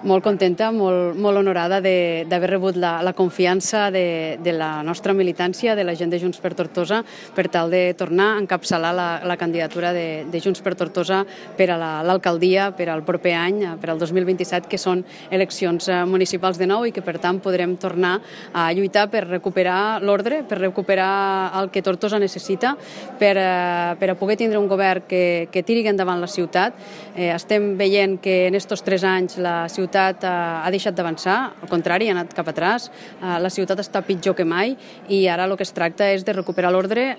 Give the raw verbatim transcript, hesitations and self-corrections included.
Molt contenta, molt, molt honorada d'haver rebut la, la confiança de, de la nostra militància, de la gent de Junts per Tortosa, per tal de tornar a encapçalar la, la candidatura de, de Junts per Tortosa per a l'alcaldia per al proper any, per al dos mil vint-i-set, que són eleccions municipals de nou i que per tant podrem tornar a lluitar per recuperar l'ordre, per recuperar el que Tortosa necessita, per, per a poder tindre un govern que, que tiri endavant la ciutat. Eh, estem veient que en estos tres anys la ciutat ha deixat d'avançar, al contrari, ha anat cap atràs, la ciutat està pitjor que mai i ara el que es tracta és de recuperar l'ordre